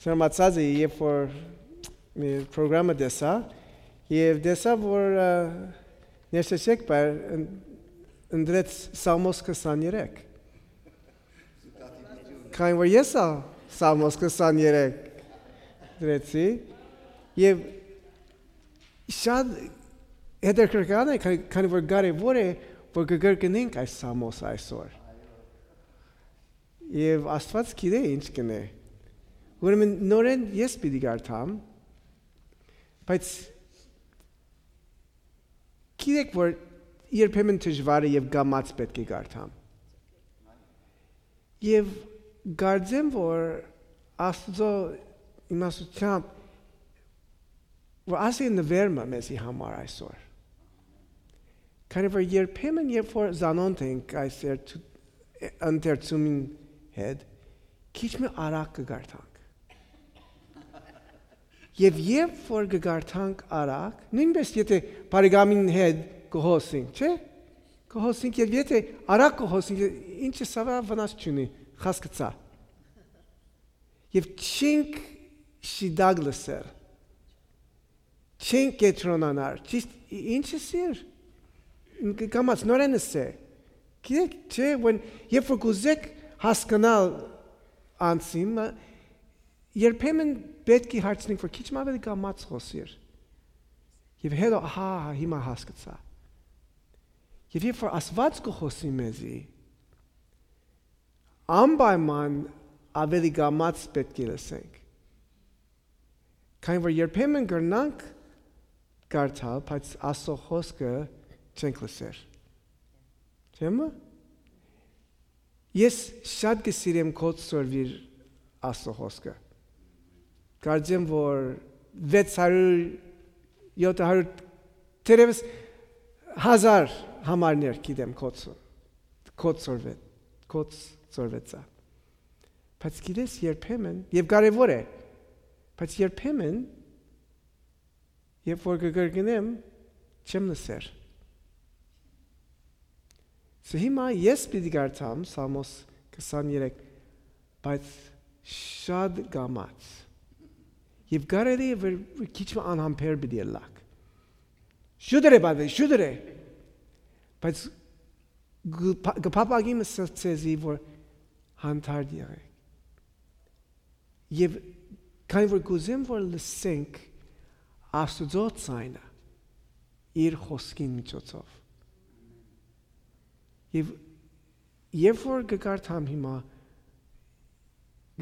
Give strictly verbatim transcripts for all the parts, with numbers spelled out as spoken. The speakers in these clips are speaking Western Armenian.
Սրամացած է, երբ որ մի պրոգրամը տեսա, եւ տեսա, որ, ը, ներսես եկբայր ըն-, ընտրեց Սաղմոս քսաներեք։ Քանի որ ես ալ Սաղմոս քսաներեք ընտրեցի, եւ շատ հետաքրքրական է, քանի, քանի որ կարեւոր է, որ կկրկնենք այս Սաղմոսը այսօր։ Եւ Աստուած գիտէ ինչ կ'ընէ։ Ուրեմն նորէն ես պիտի կարդամ, բայց գիտէք, որ երբեմն դժուար է եւ կամաց պէտք է կարդամ։ Եւ կարծեմ, որ Աստուծոյ իմաստութեամբ, որ ասի նուեր մը մեզի համար այսօր։ Քանի որ երբեմն, երբ որ զանոնդ ենք այս երթ-, ընթերցումին հետ, քիչ մը արագ կը կարդանք։ Եւ երբ որ կը կարդանք արագ, նոյնպէս եթե բարեկամին հետ կը հոսենք, չէ՞, կը հոսենք, եւ եթե արագ կը հոսենք, ինչը սա վնաս չունի, խաս կը ցայ։ Եւ չենք շիտակ լսել, չենք կեդրոնանար, ճիշդ ի-, ինչը սիր, կ-, կամաց նորէն ըսէ։ Գիտեք, չէ՞, when, երբ որ կուզեք հասկանալ անձին, մը, երբեմն պէտք է հարցնենք, որ քիչ մը աւելի կամաց խօսիր։ Եւ հետո, ահա, ահա, հիմա հասկացայ։ Եւ երբ որ Աստուած կը խօսի մեզի, անպայման աւելի կամաց պէտք է լսենք։ Քանի որ երբեմն կրնանք կարդալ, բայց Աստծո խօսքը չենք լսեր։ Չէ՞ մը։ Ես շատ կը սիրեմ քո սորվիր Աստծո խօսքը։ Կարծեմ, որ վեց հարիւր, յոթ հարիւր, թերեւս հազար համարներ գիտեմ քո ցո-, քո սորվետ, քո սորվեցայ։ Բայց գիտես, երբեմն, եւ կարեւոր է, բայց երբեմն, երբ որ կը կրկնեմ, չեմ լսեր։ Սա հիմա ես պիտի կարդամ Սաղմոս քսաներեք, բայց շատ կամաց։ Եւ կարելի է, որ քիչ մը անհամբեր պիտի ըլլաք։ Շուտը է, բադե, շուտը է։ Բայց կը փա-, կը փափագի մը սա ձեզի, որ հանդարտ եղեք։ Եւ քանի որ կ'ուզեմ, որ լսենք Աստուծոյ ձայնը իր խօսքին միջոցով։ Եւ երբ որ կը կարդամ հիմա,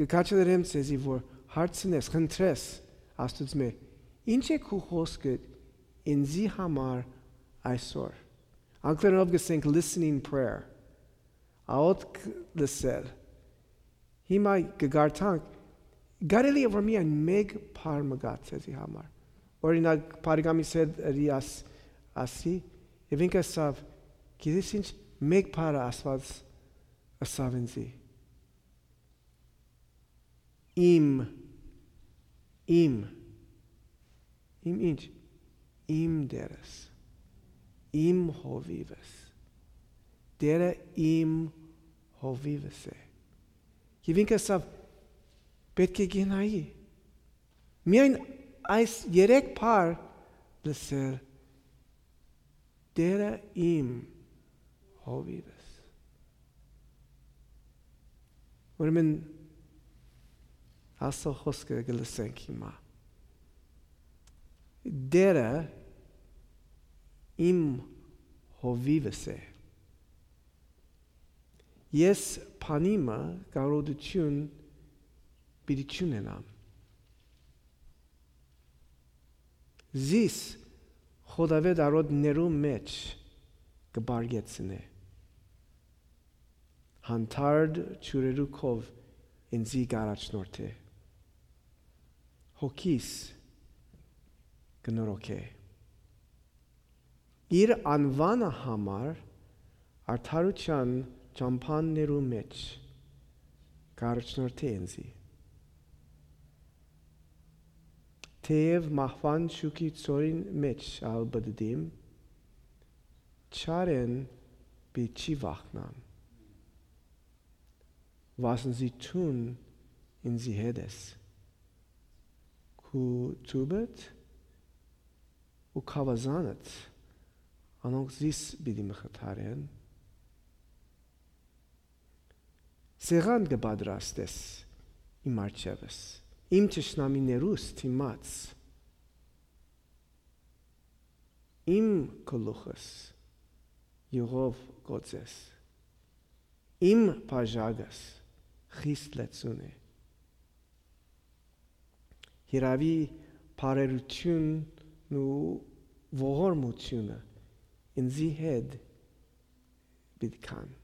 կը քաջալերեմ ձեզի, որ հարցնես, խնդրես Աստուծմէ, "Ի՞նչ է քու խօսքդ ինծի համար այսօր"։ Անգլերենով կ'ըսենք listening prayer, աղօթք լսել։ Հիմա կը կարդանք, կարելի է որ միայն մէկ բառ մը գայ ձեզի համար։ Օրինակ, բարեկամիս հետ ըրի աս-, ասի, եւ ինքը ըսաւ, "Գիտես ինչ, մէկ բառը Աստուած ըսաւ ինծի։ Իմ, իմ, իմ ինչ, իմ Տերս, իմ հովիվս, Տերը իմ հովիվս է"։ Եւ ինքը ըսաւ, "Պէտք է գնայի"։ Միայն այս երեք բառ լսել, "Տերը իմ հովիվս"։ Ուրեմն Աստծո խօսքը կը լսենք հիմա։ "Տերը իմ հովիվս է։ Ես բանի մը կարողութիւն պիտի չունենամ։ Զիս խոտաւետ արոտներու մէջ կը պարկեցնէ։ Հանդարտ ջուրերու քով ինծի կ'առաջնորդէ։ Հոգիս կը նորոգէ։ Իր անուանը համար արդարութեան ճամբաներու մէջ կ'առաջնորդէ ինծի։ Թէեւ մահուան շուքի ձորին մէջ ալ պտտիմ, չարէն պիտի չի վախնամ։ վասն զի դուն ինծի հետ ես։ Քու ծուբդ ու գաւազանդ, անոնք զիս պիտի մխիթարեն։ Սեղան կը պատրաստես իմ առջեւս, իմ թշնամիներուս դիմաց։ Իմ գլուխս յուղով կ'օծես, իմ բաժակս խիստ լեցուն է։ Հիրաւի բարերութիւնն ու ողորմութիւնը ինծի հետ պիտի գան։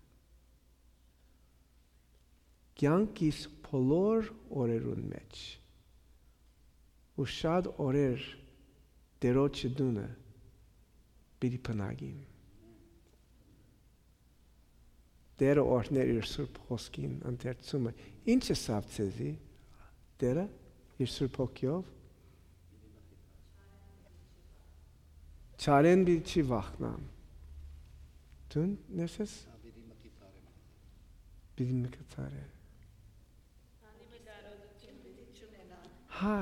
Կեանքիս բոլոր օրերուն մէջ ու շատ օրեր Տէրոջը տունը պիտի բնակիմ։ Տէրը օրհներ իր սուրբ խօսքին ընթերցումը։ Ինչ ըսաւ ձեզի Տէրը իր սուրբ հոգիով։ Չարէն պիտի չի վախնամ։ Դուն ներսես։ Պիտի մխիթարեմ։ Պիտի մխիթարեմ։ Հա։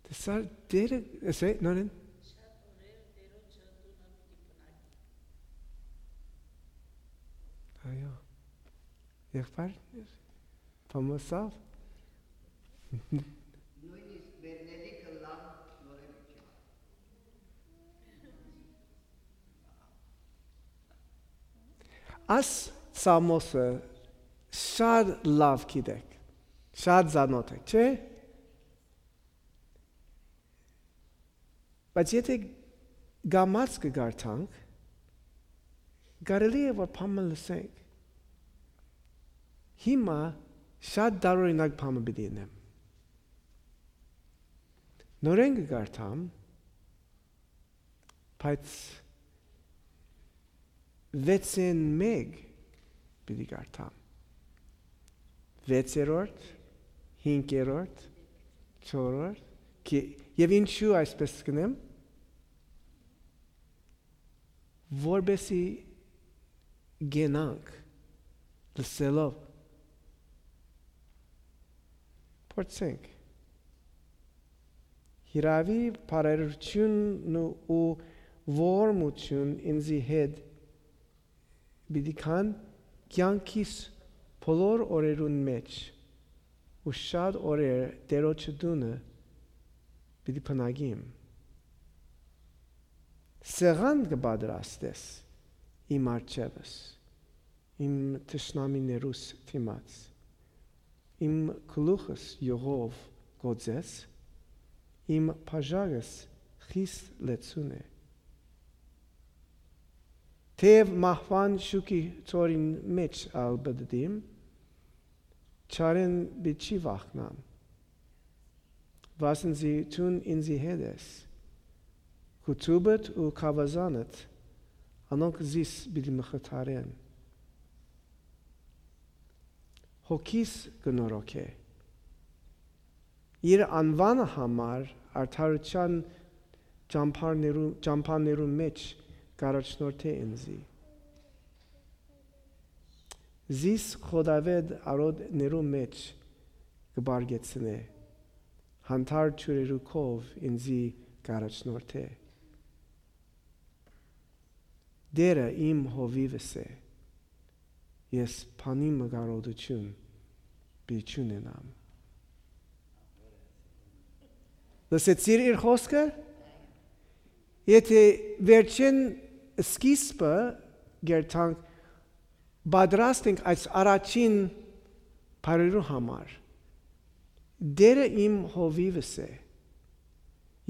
Տեսա, Տերը, ասե, նորեն։ Այո։ Եղբայր, բամոսավ։ Նոյնիսկ բերնելի կը լան նորեն։ Աս Սամոսը շատ լաւ գիտեք, շատ ծանոթ եք, չէ՞։ Բայց եթե գամած կը կարդանք, կարելի է որ բան մը լսենք։ Հիմա շատ տարօրինակ բան մը պիտի ընեմ։ Նորեն կը կարդամ, բայց վեցէն մէկ պիտի կարդամ։ Վեցերորդ, հինգերորդ, չորրորդ, կի-, եւ ինչու այսպես կ'ընեմ, որպեսի գենանք լսելով, փորձենք։ Հիրաւի բարերութիւնն ու, ու ողորմութիւն ինծի հետ պիտի գան կեանքիս բոլոր օրերուն մէջ ու շատ օրեր Տէրոջը տունը պիտի բնակիմ։ Սեղան կը պատրաստես իմ առջեւս, իմ թշնամիներուս դիմաց։ Իմ գլուխս յուղով կ'օծես, իմ բաժակս խիստ լեցուն է։ Թեև մահուան շուքի ծորին մէջ ալ պտտիմ, չարէն պիտի չի վախնամ, վասն զի դուն ինծի հետ ես։ Քու ծուբդ ու գաւազանդ, անոնք զիս պիտի մխիթարեն։ Հոգիս կը նորոգէ։ Իր անուանը համար արդարութեան ճամբարներու, ճամբաներու մէջ կ'առաջնորդէ ինծի։ Զիս խոտաւէտ արոտներու մէջ կը պարկեցնէ, յանդարտ ջուրերու քով ինծի կ'առաջնորդէ։ Տէրը իմ հովիվս է, ես բանի մը կարողութիւն պիտի չունենամ։ Լսեցի՞ր իր խօսքը։ Եթե վերջին սկիզբը գերտանք, պատրաստ ենք այս առաջին բարերու համար։ Տէրը իմ հովիվս է։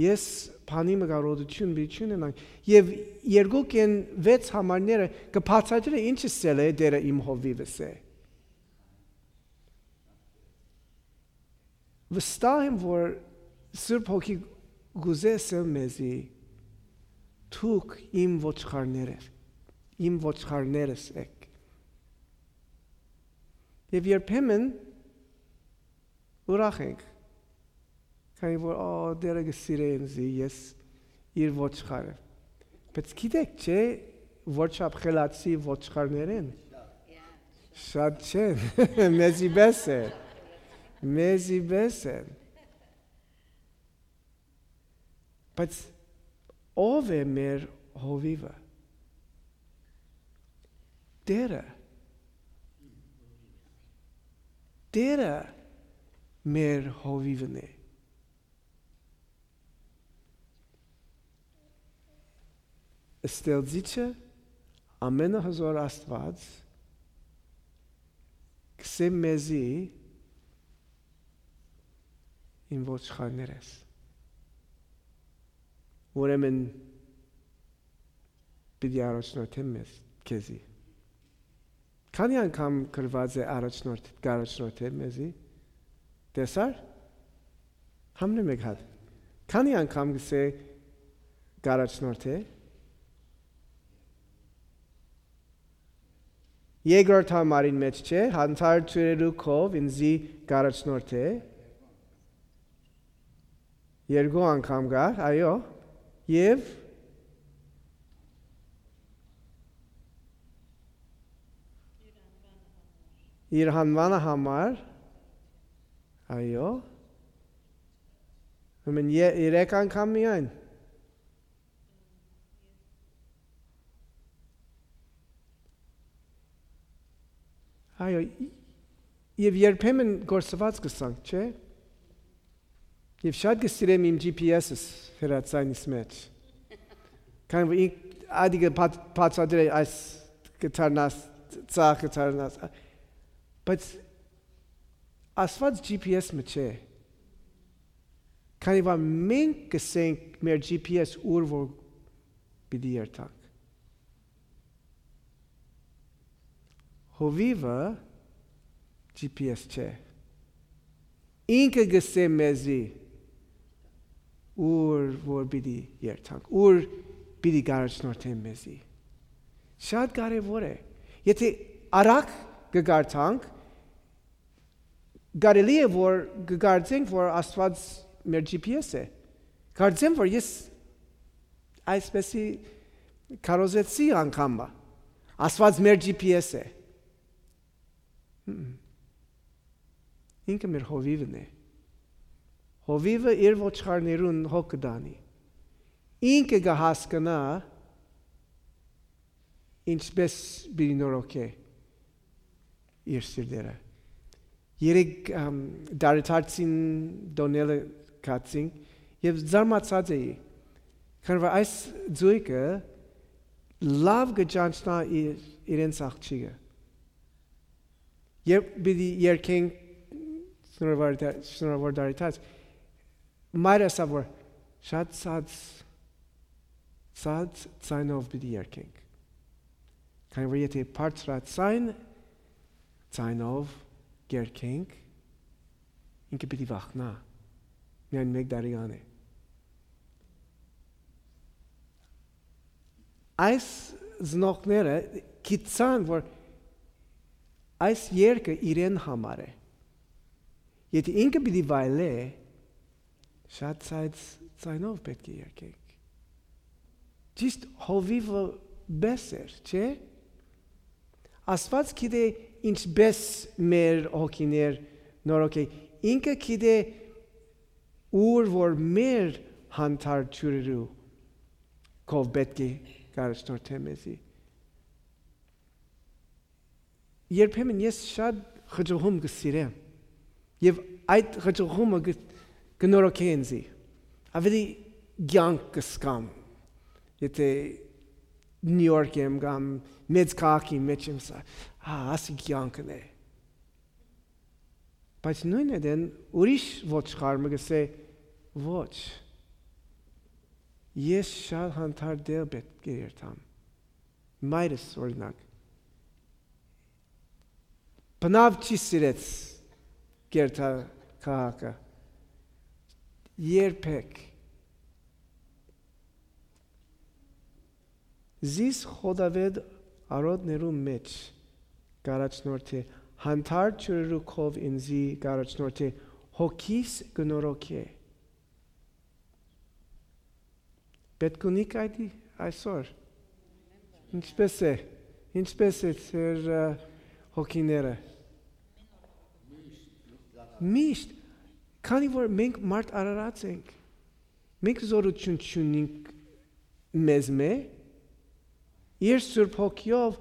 Ես բանի մը կարողութիւն պիտի չունենամ։ Եւ երկուք են վեց համարները կը բացատրի ինչ ըսել է Տէրը իմ հովիվս է։ Վստահ եմ, որ Սուրբ Հոգի կ'ուզէ ըսել մեզի, «Դուք իմ ոչխարներ եք, իմ ոչխարներս եք»։ Եւ երբեմն ուրախ ենք, քանի որ, «Ա, Տէրը կը սիրէ ինձի, ես իր ոչխարը»։ Բայց գիտեք չէ, որ չափ խելացի ոչխարներէն շատ չեն։ Մեզի պէս են։ Մեզի պէս են։ Բայց ո՞վ է մեր հովիվը? Տէրը։ Տէրը մեր հովիվն է։ Ստեղծիչը, ամենահզօր Աստուած, կ'ըսէ մեզի. «Իմ ոչխարներէս»։ Ուրեմն պիտի առաջնորդեմ մեզ, քեզի։ Քանի՞ անգամ գրուած է առաջնորդ-, կ'առաջնորդէ մեզի։ Տեսա՞ր։ Համնե մեկ հատ։ Քանի՞ անգամ կ'ըսէ կ'առաջնորդէ։ Երկրորդ համարին մէջ չէ, յանդարտ ջուրերու քով ինծի կ'առաջնորդէ։ Երկու անգամ կար, այո, եւ իր հանուանը համար, այո, ուրեմն ե-, երեք անգամ միայն։ Այո, եւ երբեմն գործուած կ'ըսանք, չէ՞։ Եւ շատ կը սիրեմ իմ G P S-ս հրացանիս մէջ։ Քան որ ինք ադի կը բաց-, բացատրէ այս կը դառնաս, ցախ կը դառնաս։ Բայց Աստուած G P S մը չէ։ Քանի որ մենք կ'ըսենք մեր G P S ուր որ պիտի երթանք։ Հովիվը G P S չէ։ Ինքը կ'ըսէ մեզի ուր որ պիտի երթանք, ուր պիտի կ'առաջնորդեն մեզի։ Շատ կարեւոր է։ Եթե արագ կը կարդանք, կարելի է որ կը կարծենք որ Աստուած մեր G P S է։ Կարծեմ որ ես այսպեսի քարոզեցի անգամ մը։ Աստուած մեր G P S է։ Հմ։ Ինքը մեր հովիվն է։ Հովիվը իր ոչխարներուն հոգ կը տանի։ Ինքը կը հասկնայ ինչպէս պիտի նորոգէ իր սիրտերը։ Երեք, ամ, տարեդարձին տոները գացին եւ զարմացած էի, քան որ այս զոյգը լաւ կը ճանչնայ իր, իրենց աղջիկը։ Երբ պիտի երգենք շնորհավոր դա-, շնորհավոր դարիթաց, մայրը ասաւ որ շատ ցած, ցած ձայնով պիտի երգենք։ Քանի որ եթե բարձրաձայն ձայնով կ'երգենք, ինքը պիտի վախնայ։ Միայն մեկ տարեկան է։ Այս ծնողները գիտցան որ այս երգը իրեն համար է։ Եթե ինքը պիտի վայելէ, շատ ցած ձայնով պէտք է երգենք։ Ճիշդ հովիվը պէս էր, չէ՞։ Աստուած գիտէ ինչպէս մեր հոգիներ նորոգէ։ Ինքը գիտէ ուր որ մեր յանդարտ ջուրերու քով պէտք է կ'առաջնորդէ մեզի։ Երբեմն ես շատ խճողում կը սիրեմ եւ այդ խճողումը կը, կը նորոգէ ինձի։ Ավելի կեանք կը զգամ, եթե Նիու Յորք եմ կամ մեծ քաղաքի մեջ եմ, սա, հա, ասի կեանքն է։ Բայց նոյն ատեն ուրիշ ոչխար մը կ'ըսէ. «Ոչ, ես շատ հանդարտ տեղ պէտք է երթամ»։ Մայրս, օրինակ, բնաւ չի սիրեց կերթա քաղաքը։ Երբեք։ Զիս խոտավետ արոտներու մէջ կ'առաջնորդէ, հանդարտ ջուրերու քով ինծի կ'առաջնորդէ, հոգիս կը նորոգէ։ Պէտք ունի՞ք այդ այսօր։ Ինչպե՞ս է, ինչպե՞ս է ձեր, ը, հոգիները։ Միշտ, քանի որ մենք մարդ արարած ենք, մենք զօրութիւն չունինք մեզմէ, իր Սուրբ Հոգիով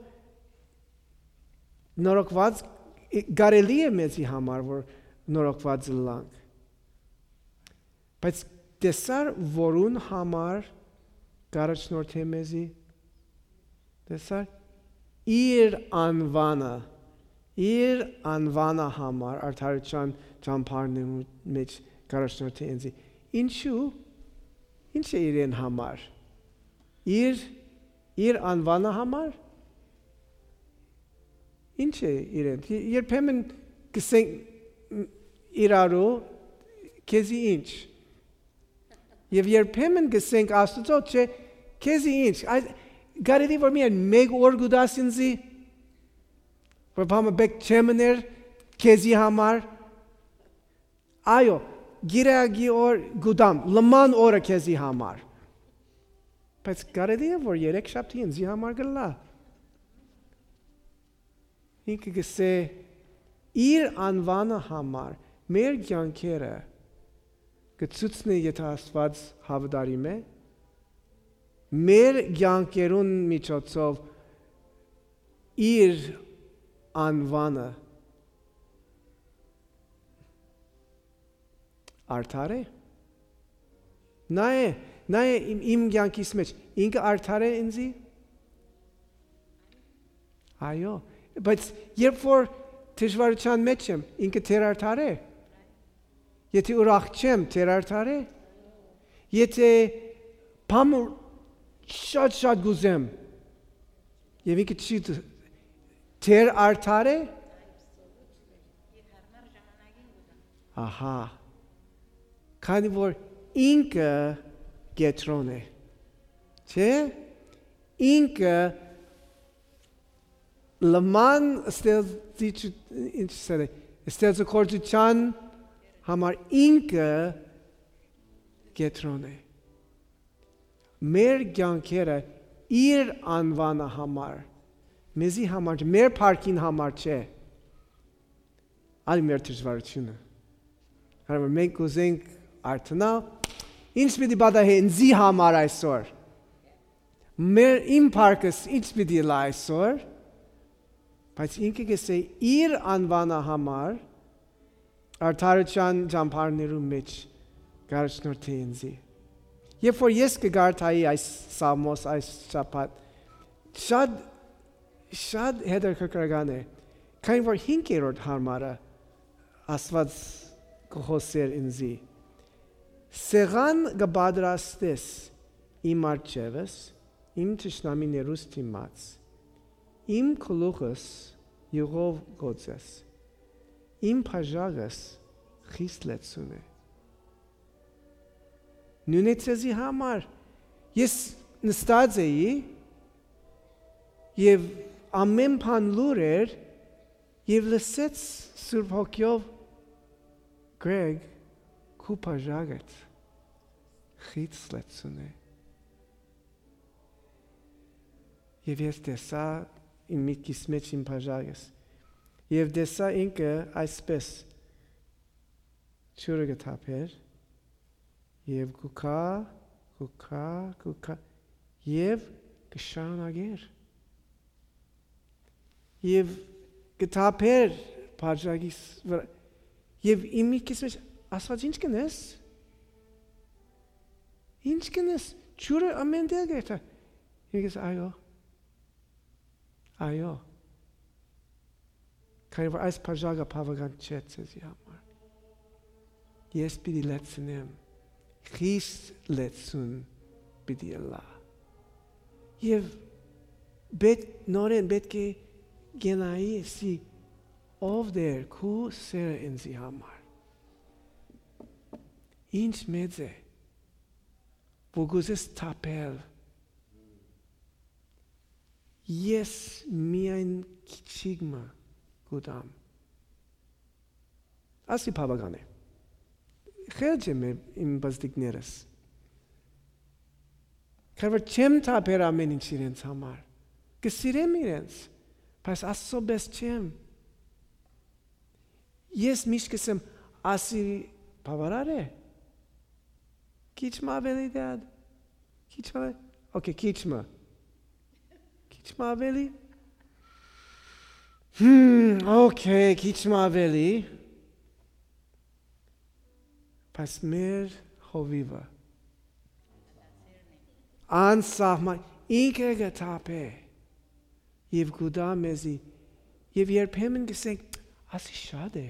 նորոգուած, կարելի է մեզի համար, որ նորոգուած ըլլանք։ Բայց տեսա՞ր, որուն համար կ'առաջնորդէ մեզի։ Տեսա՞ր, իր անուանը, իր անուանը համար արդարութեան ճամբարներուն մէջ կ'առաջնորդէ ինձի։ Ինչու՞, ինչ է իրեն համար։ Իր, իր անուանը համար։ Ինչ է իրեն։ Երբեմն կ'ըսենք, մ, իրարու, քեզի ինչ։ Եւ երբեմն կ'ըսենք Աստուծոյ, չէ, քեզի ինչ։ Այս, կարելի որ միայն մեկ օր կու տաս ինձի, որ բանը պէտք չէ մներ քեզի համար։ Այո, գիրագի օր կու տամ, լման օրը քեզի համար։ Բայց կարելի է որ երեք շաբթի ինձի համար կ'ըլլայ։ Ինքը կ'ըսէ, իր անուանը համար մեր կեանքերը կը ցուցնէ, եթէ Աստուած հաւատարիմ է, մեր կեանքերուն միջոցով իր անուանը արդար է։ Նայ, նայ իմ, իմ կեանքիս մէջ, ինքը արդար է ինձի։ Այո, բայց երբ որ դժվարութեան մէջ եմ, ինքը թեր արդար է։ Եթէ ուրախ չեմ, թեր արդար է։ Եթէ բան շատ-շատ կ'ուզեմ, եւ ինքը չի դ-, թեր արդար է։ Ահա, քանի որ ինքը կեդրոն է, չէ՞։ Ինքը լման ստեղծիչ, ինչ սեր է, ստեղծագործութեան համար ինքը կեդրոն է։ Մեր կեանքերը իր անուանը համար, մեզի համար չէ, մեր փառքին համար չէ, այլ մեր դժվարութիւնը։ Քանի որ մենք կ'ուզենք արթնալ, ինչ պիտի պատահէ ինձի համար այսօր։ Մեր, իմ փառքս ինչ պիտի ըլլայ այսօր, բայց ինքը կ'ըսէ իր անուանը համար արդարութեան ճամբարներու մէջ կ'առաջնորդէ ինձի։ Երբ որ ես կը կարդայի այս սաղմոս, այս շաբաթ, շատ, շատ հետաքրքրական է, քանի որ հինգերորդ հարմարը Աստուած կը խօսէր ինձի. «Սեղան կը պատրաստես իմ առջեւս, իմ թշնամիներուս դիմաց, իմ գլուխս իւղով կ'օծես, իմ բաժակս խիստ լեցուն է»։ Նոյնը ձեզի համար։ Ես նստած էի եւ ամէն բան լուռ էր, եւ լսեց Սուրբ Հոգիով. «Գրեգ, քու բաժակդ խիստ լեցուն է»։ Եւ ես տեսայ իմ միտքիս մէջ իմ բաժակս, եւ տեսայ ինքը այսպէս ջուրը կը թափէր, եւ կու գայ, կու գայ, կու գայ, եւ կը շարունակէր։ Եւ կը թափէր բաժակիս վրայ, եւ իմ միտքիս մէջ, «Աստուած, ինչ կ'ընես, ինչ կ'ընես, ջուրը ամէն տեղ կ'երթայ»։ Ինքս, «Այո, այո, քանի որ այս բաժակը բաւական չէ ձեզի համար, ես պիտի լեցնեմ, խիստ լեցուն պիտի ըլլայ»։ Եւ պէտ-, նորէն պէտք է գնայի, սի, «Ով Տէր, քու սերը ինձի համար, ինչ մեծ է, որ կ'ուզես թափել, ես միայն քիչիկ մը կու տամ»։ Ասի բաւական է։ Խելջ եմ իմ բզդիկներս։ Քանի որ չեմ թափեր ամէն ինչ իրենց համար։ Կը սիրեմ իրենց, բայց Աստծո պէս չեմ։ Ես միշտ կ'ըսեմ, ասի բավարար է։ Քիչ մը աւելի, Դադ։ Քիչ մը։ Okay, քիչ մը։ Քիչ մը աւելի։ Հմ, okay, քիչ մը աւելի։ Բայց մեր հովիվը անսահման ինքը կը թափէ եւ կու տայ մեզի, եւ երբեմն կ'ըսենք, «Ասի շատ է,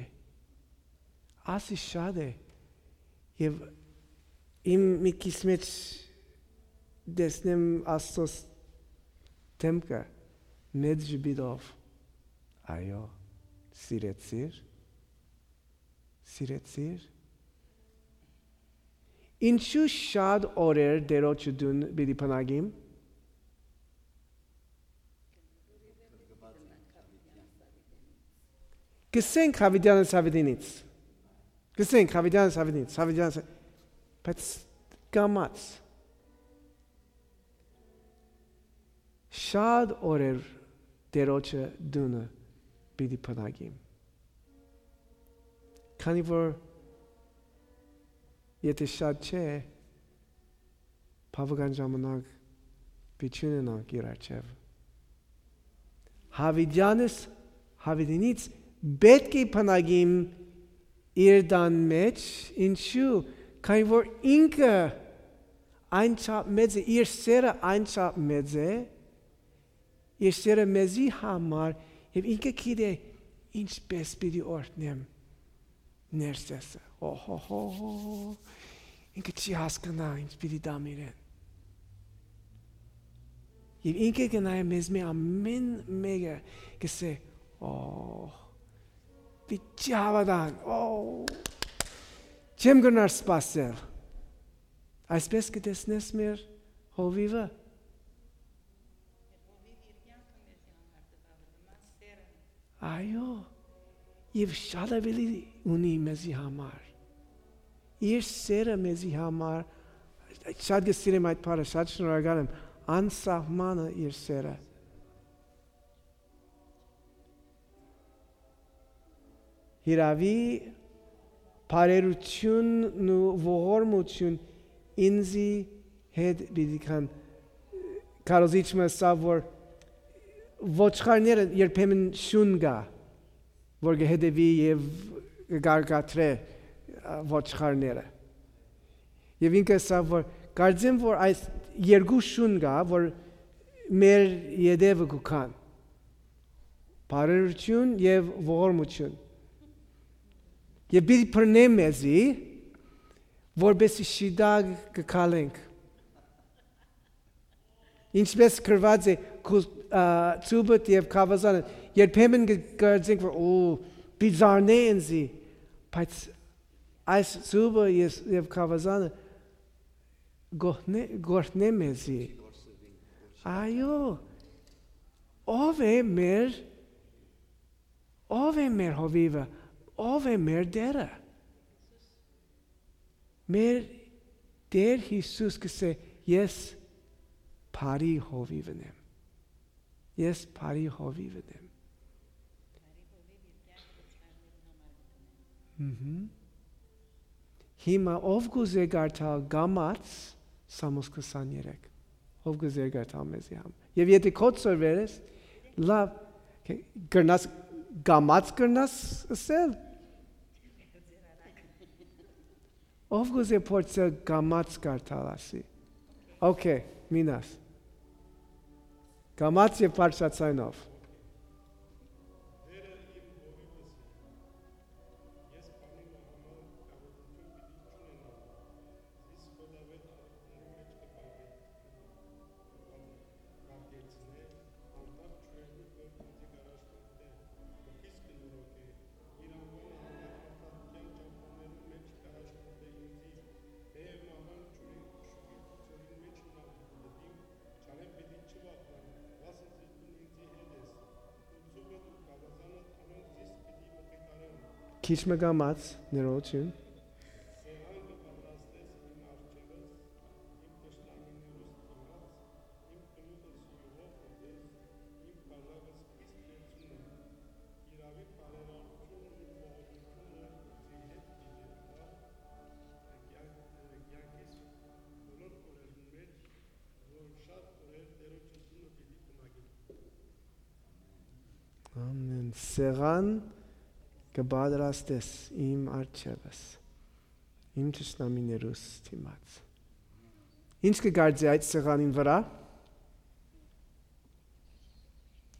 ասի շատ է», եւ իմ միտքիս մէջ տեսնեմ Աստծոս դէմքը մեծ ժպիտով. «Այո, սիրեցիր, սիրեցիր»։ Ինչու շատ օրեր Տէրոջը տուն պիտի բնակիմ։ Կ'ըսենք Յաւիտեանս Յաւիտինից։ Կ'ըսենք Յաւիտեանս Յաւիտինից, Յաւիտեանս, բայց կամաց շատ օրեր Տէրոջը տունը պիտի բնակիմ։ Քանի որ եթէ շատ չէ, բաւական ժամանակ պիտի չունենանք իր առջեւ։ Յաւիտեանս Յաւիտինից պէտք է բնակիմ իր տան մէջ, ինչու՞, քանի որ ինքը այն չափ մեծ է, իր սերը այն չափ մեծ է, իր սերը մեզի համար, եւ ինքը գիտէ ինչպէս պիտի օրհնեմ ներսեսը։ Օհոհո, ինքը չի հասկնայ ինչ պիտի տամ իրեն։ Եւ ինքը կը նայէ մեզմէ ամէն մէկը, կ'ըսէ, «Օ, պիտի հաւատան, օ, չեմ կրնար սպասել»։ Այսպէս կը տեսնես մեր հովիվը։ Այո, եւ շատ աւելի ունի մեզի համար։ Իր սերը մեզի համար, շատ կը սիրեմ այդ բառը, շատ շնորհակալ եմ, անսահմանը իր սերը։ Հիրաւի, բարերութիւնն ու ողորմութիւն ինծի հետ պիտի գան։ Քարոզիչ մը ըսաւ, որ ոչխարները երբեմն շուն կայ, որ կը հետեւի եւ կը կարկադրէ, ա, ոչխարները։ Եւ ինքը ըսաւ, որ կարծեմ, որ այս երկու շուն կայ, որ մեր ետեւը կու գան. բարերութիւն եւ ողորմութիւն։ Եւ պիտի բռնէ մեզի, որպէսզի շիտակ կը քալենք։ Ինչպէս գրուած է, քու, ա, ծուբդ եւ գաւազանդ, երբեմն կը կարծենք, որ, «Օ, պիտի զարնէ ինծի», բայց այս ծուբը ես, եւ գաւազանը կ'օրհնէ, կ'օրհնէ մեզի։ Այո, ով է մեր, ով է մեր հովիվը, ով է մեր Տէրը։ Մեր Տէր Յիսուս կ'ըսէ, «Ես բարի հովիվն եմ։ Ես բարի հովիվն եմ»։ Մհմ։ Հիմա ով կ'ուզէ կարդալ կամաց Սամոս քսաներեք։ Ով կ'ուզէ կարդալ մեզի համար։ Եւ եթէ քո ծորվեր ես, լավ, կրնաս, կամաց կրնաս ըսել։ Ով կ'ուզէ փորձել կամաց կարդալ, ասի։ Okay, մինաս։ Կամաց եւ բարձրաձայնով։ Քիչ մը կամաց, ներողություն։ Ամեն սեղան կը պատրաստես իմ առջեւս, իմ թշնամիներուս դիմաց։ Ինչ կը կարծէ այդ սեղանին վրայ?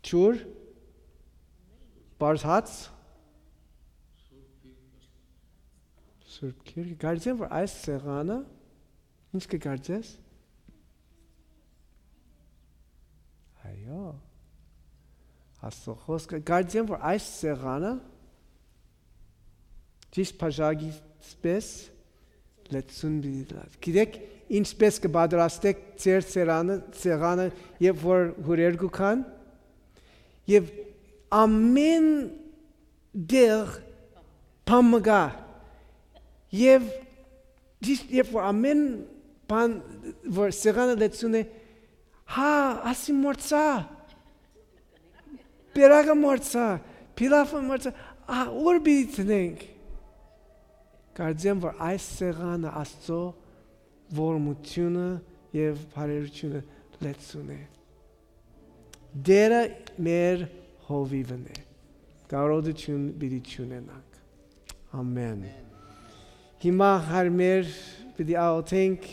Ջուր, պարզ հաց, Սուրբ Գիրքը։ Կարծեմ, որ այս սեղանը, ինչ կը կարծես? Այո, Աստծո խոսքը։ Կարծեմ, որ այս սեղանը ճիշտ բաժակից պես լեցուն պիտի լաց։ Գիտեք, ինչպես կը պատրաստեք ձեր սերանը, սեղանը, երբ որ հուրեր կու գան, եւ ամեն տեղ բան մը կայ, եւ ճիշտ երբ որ ամեն բան, որ սեղանը լեցուն է, հա, ասի մորցայ, պերակը մորցայ, փիլաֆը մորցայ, ա, ո՞ւր պիտի դնենք։ Կարծեմ, որ այս սեղանը Աստծո ողորմութիւնը եւ բարերութիւնը լեցուն է։ Տէրը մեր հովիվն է։ Կարողութիւն պիտի չունենանք։ Ամեն։ Հիմա, հարմեր, պիտի աղոթենք